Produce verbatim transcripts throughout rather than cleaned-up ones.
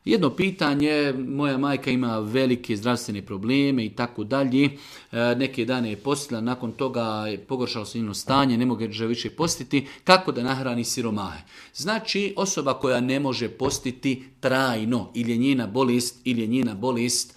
Jedno pitanje, moja majka ima velike zdravstvene probleme i tako dalje. Neke dane je postila, nakon toga je pogoršalo se njeno stanje, ne može više postiti. Kako da nahrani siromahe? Znači, osoba koja ne može postiti trajno, ili je njena bolest, ili je njena bolest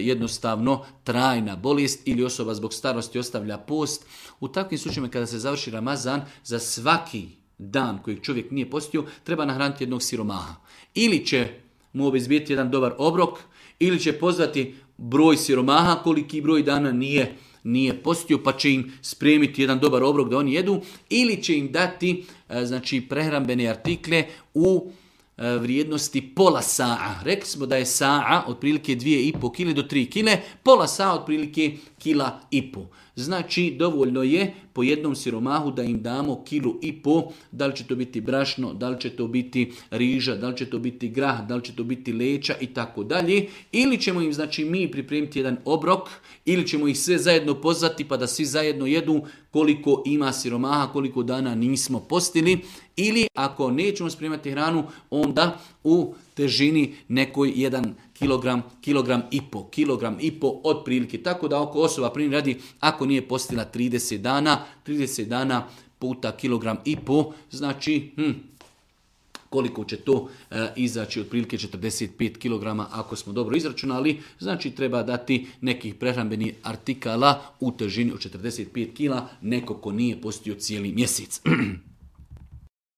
jednostavno trajna bolest, ili osoba zbog starosti ostavlja post. U takvim slučajevima kada se završi Ramazan, za svaki dan kojeg čovjek nije postio, treba nahraniti jednog siromaha. Ili će mu obezbijeti jedan dobar obrok, ili će pozvati broj siromaha koliki broj dana nije, nije postio, pa će im spremiti jedan dobar obrok da oni jedu, ili će im dati znači, prehrambene artikle u vrijednosti pola sa'a. Rekli smo da je sa'a otprilike dvije i pol kile do tri kile, pola sa'a otprilike kila i pol. Znači, dovoljno je po jednom siromahu da im damo kilu i pol, da li će to biti brašno, da li će to biti riža, da li će to biti grah, da li će to biti leća i tako dalje. Ili ćemo im, znači, mi pripremiti jedan obrok, ili ćemo ih sve zajedno pozvati pa da svi zajedno jedu koliko ima siromaha, koliko dana nismo postili. Ili ako nećemo spremati hranu, onda u težini nekoj jedan kilogram, kilogram i po, kilogram i po otprilike. Tako da oko osoba primjer radi, ako nije postila trideset dana, trideset dana puta kilogram i po, znači hm, koliko će to e, izaći, otprilike četrdeset pet kilograma ako smo dobro izračunali, znači treba dati nekih prehrambenih artikala u težini od četrdeset pet kila neko ko nije postio cijeli mjesec.